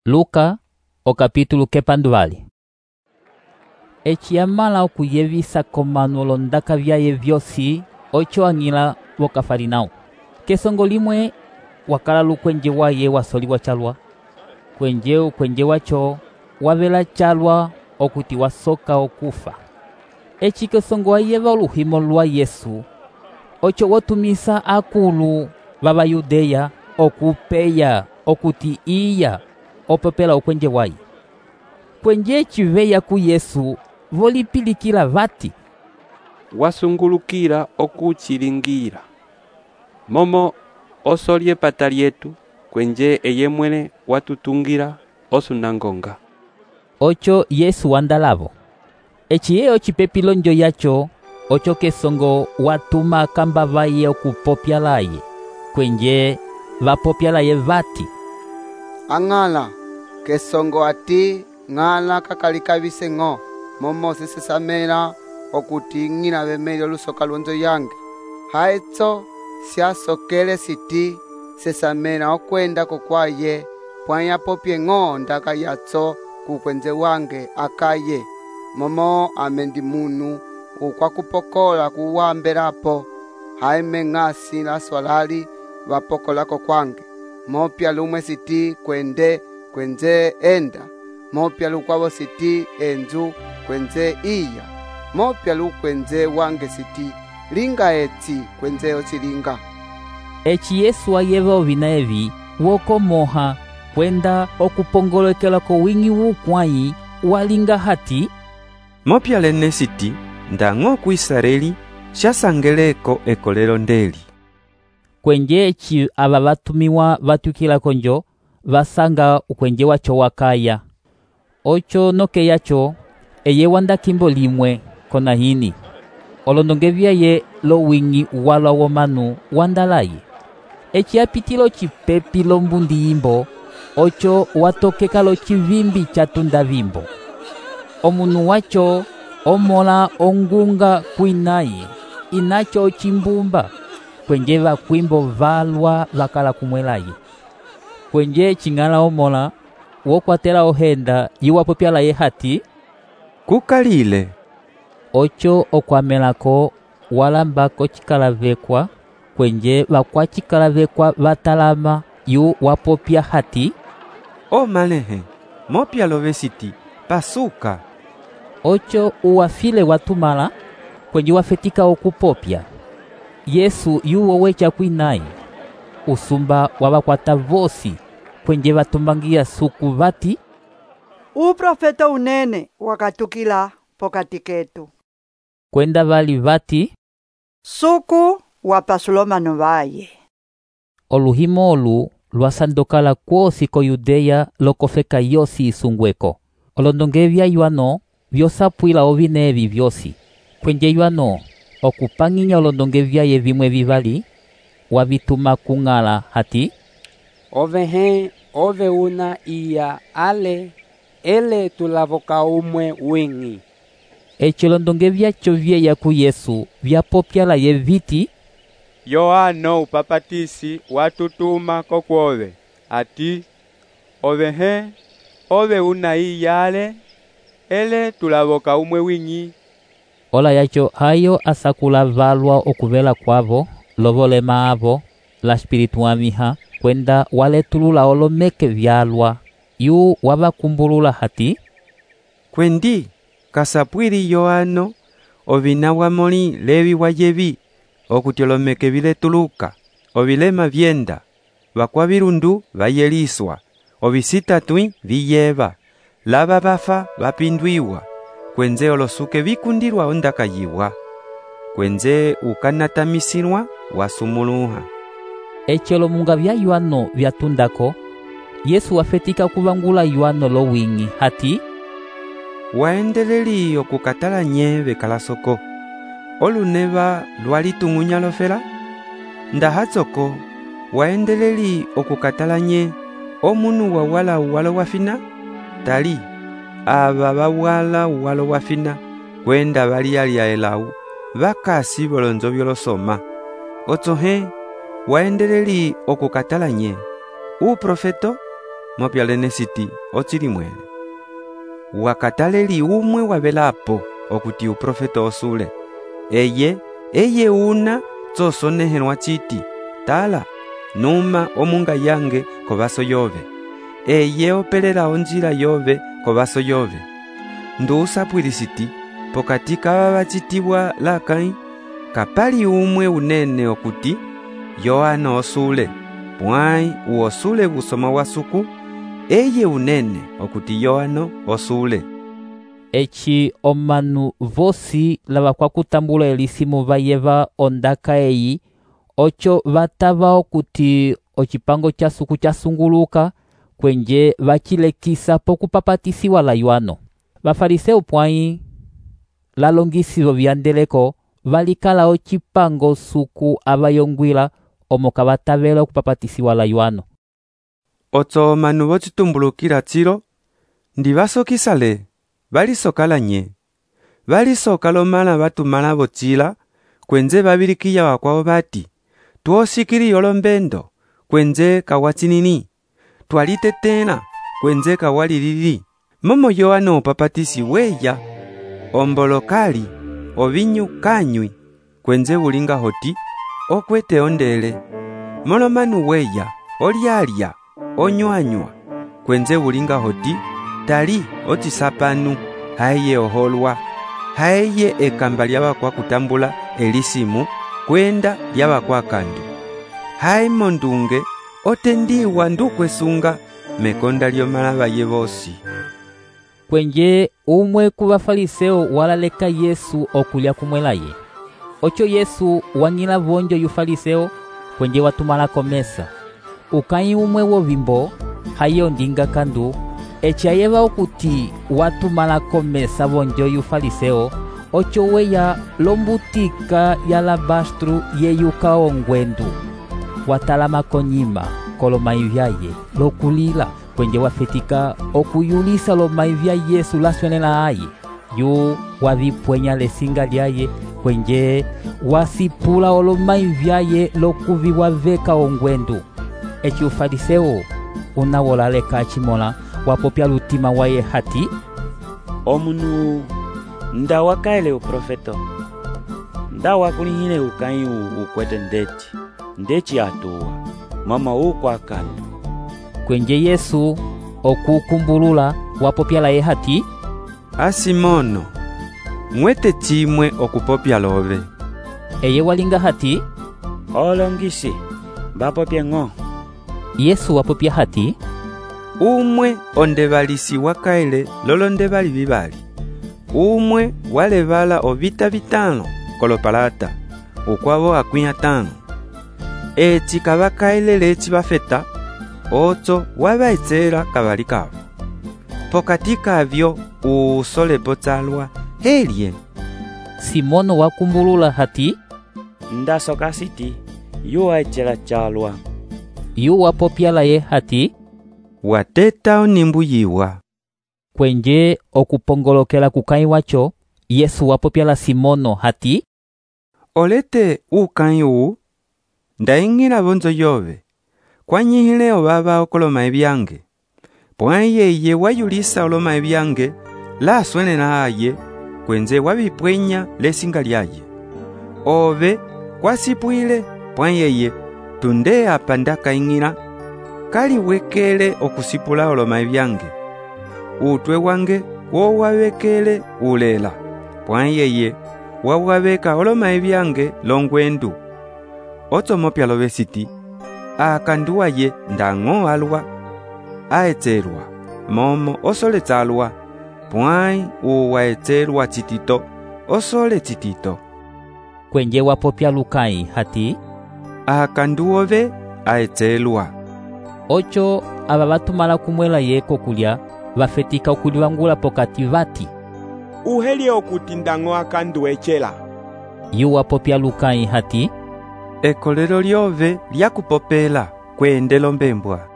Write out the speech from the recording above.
Luka, o capítulo kepanduvali. Eci yamala okuyevisa komanu olondaka vyaye vyosi oco ang'ila vo Kafarnao. Kesongo limwe wakala lukwenje waye wasoliwa calwa. Ukwenje waco wavela calwa okuti wasoka okufa. Eci kesongo ayeva oluhimo lwa Yesu oco watumisa akulu vava Yudeya okupeya okuti iya opopela ukwenje waye. Kwenje eci veya ku Yesu volipilikila vati, wasungulukila okuchilingira momo osolye pata lyetu kwenje eye mwene watutungila osunangonga. Oco Yesu wandalavo. Eci ye ocipepi lonjo yaco oco kesongo watuma kamba vaye okupopya laye. Kwenje vapopya laye vati, ang'ala kesongo ati ng'ala kakalikavise ng'o momo sisesamela okuti ng'ina vemeli olusoka lwonzo yange. Haetso siasokele siti sesamela okwenda kokwaye pwanya popye ng'o ndaka yatso kukwenze wange akaye momo amendi munu ukwakupokola kuwambelapo haime ng'asi la swalali vapokolako kwange mopya lumwe siti kwenze enda mopya lukwavo siti enzu kwenze iya mopya lukwenze wange siti linga etsi kwenze ocilinga. Eci Yesu ayeva ovina evi wokomoha kwenda okupongolekela ko wingi wukwayi walinga hati, mopya lene siti ndang'o ku Israeli xasangeleko ekolelo ndeli. Kwenje eci ava vatumiwa vatukila konjo vasanga ukwenje waco wakaya. Oco noke yaco eye wanda kimbo limwe kona hini. Olondonge vyaye lo wingi walwa womanu wandalaye. Eci apitilo cipepi lombundi yimbo oco watokeka lo civimbi catunda vimbo. Omunu waco omola ongunga kuinaye inaco cimbumba kwenje vakwimbo valwa vakala kumwelaye. Kwenje cing'ala omola wokwatela ohenda yiwapopya laye hati, kukalile. Oco okwamelako walambako cikalavekwa kwenje vakwacikalavekwa vatalama yu wapopya hati, o malehe mopya love siti pasuka. Oco uwafile watumala kwenje wafetika okupopya. Yesu yuwo wecha kwinaye. Usumba wavakwata vosi kwenje vatumbangia suku vati, uprofeta unene wakatukila pokati ketu. Kwenda vali vati, suku wapasulomano vaye. Oluhimo olu lwasandokala kwosi ko Yudeya lokofeka yosi isungweko. Olondonge vya yuano vyosapwila ovina evi vyosi. Kwenje yuano okupang'inya olondonge vyaye vimwe vivali wavituma kung'ala hati, ove una iya ale ele tulavoka umwe wingi. Eci olondonge vyaco vyeya ku Yesu vyapopya laye viti, Yohano upapatisi watutuma kokwove ati ove una iya ale ele tulavoka umwe wingi. Ola yaco hayo asakula valwa okuvela kwavo lovolema avo la espiritu amiha kwenda waletulula olomeke vyalwa yu wavakumbulula hati, Kwendi kasapwili Yohano ovina wamoli levi wayevi okuti olomeke viletuluka ovilema vyenda vakwavirundu vayeliswa ovisitatwi viyeva lava vafa vapindwiwa kwenze olosuke vikundilwa ondaka yiwa kwenze ukanatamisilwa wasumuluha. Eci olomunga vya yuano vyatundako Yesu wafetika kuvangula yuano lo wingi hati, waendeleli okukatala nye vekalasoko oluneva lwalitung'unya lofela ndahatsoko waendeleli okukatala nye omunu wawala uwalo wafina tali ava vawala uwalo wafina kwenda valiyalya elau vakasi volonzo vyolosoma otsohe waendeleli okukatala nye uprofeto mopyalene siti ocili mwele. Wakataleli umwe wavelapo okuti uprofeta osule. Eye una tsosonehelwa citi, tala, numa omunga yange kovaso yove. Eye opelela onjila yove kovaso yove. Nduusapwili siti, pokati kava vacitiwa lakai, kapali umwe unene okuti, Yohana osule, pwai uosule busoma wasuku, eye unene okuti Yohana osule. Eci omanu vosi lava kwakutambula elisimu vayeva ondaka eyi, ocho vatava okuti ocipango cha suku chasunguluka, kwenje vacilekisa pokupapatisiwa la Yohana. Vafariseu pwai lalongisilo vyandeleko valikala ocipango suku avayongwila omo kavatavela okupapatisiwa la Yohana. Otso omanu vocitumbulukila tsilo, ndivasokisale, valisokala nye. Valisoka lomala vatumala vocila, kwenze vabilikiya wakwao vati, tuosikili yolombendo, kwenze kawatsinini, twalitetela, kwenze kawalilili. Momo Yohana upapatisi weya, ombolokali, ovinyu kanywi, kwenze ulinga hoti, okwete ondele. Molomanu weya, olialya, onywanywa, kwenze ulinga hoti, tali otisapanu, haye oholwa, haye ekamba lyavakwa kutambula elisimu, kwenda lyavakwa kandu. Haye mondunge, otendiwa ndukwesunga, mekonda lyomala vaye vosi. Kwenje umwe kuvafariseo walaleka Yesu okulya kumwelaye. Ocho Yesu wang'ila vonjo yufariseo kwenje watumalako mesa. Ukai umwe wovimbo hayo ndinga kandu, echayeva okuti watumalako mesa vonjo yufariseo, ocho weya lombutika ya alabastru yeyuka ongwendu. Watalama konyima kolomai vyaye lokulila, kwenje wafetika okuyulisa lomai vya Yesu laswenela aye. Yu wavipwenya lesinga lyaye, kwenje wasipula olomai vyaye lokuviwa veka ongwendu. Eci ufariseo unawolaleka achimola wapopya lutima waye hati, omunu nda wakaele uprofeto, nda wakulihile ukai ukwete ndeci atuwa, mama ukwa kandu. Kwenje Yesu okukumbulula wapopya laye hati, Asimono, mwete chimwe okupopya love. Eye walinga hati, olongisi, bapopya ng'o. Yesu wapopya hati, umwe ondevalisi wakaele lolondevali vivali. Umwe walevala ovita vitano kolopalata, ukwavo akwinya tano. Eci kavakaele leci vafeta, otso wavaetsela kavali kavo. Pokati kavyo usolepo tsalwa helye. Simono wakumbulula hati, Ndasoka siti, yu aechela chalwa. Yu wapopya laye hati, wateta onimbuyiwa. Kwenje okupongolokela kukai wacho, Yesu wapopya la Simono hati, olete ukai uu, ndaing'ila vonzo yove, kwanyihile ovava okoloma ebyange. Pwai yeye wayulisa oloma ebyange, laswenela aye, kwenze wavipwenya lesinga lyaye. Ove kwasipwile, pwai yeye, tunde apa ndakaing'ila, kali wekele okusipula oloma ebyange. Utwe wange wowawekele ulela, pwai yeye, wawaveka oloma ebyange longwendu. Otso mopya love siti, akanduwa ye ndang'o alwa, aetselwa, momo osole tsalwa, pwai uwaetselwa chitito, osole chitito. Kwenje wapopya lukai hati, akanduove aetselwa. Ocho aba batumala kumwela yeko kulya, vafetika okuliwangula pokati vati, uhelye okuti ndang'o akandu echela. Yu wapopya lukai hati, Ekolelo lyove lyakupopela kwendelo mbembwa.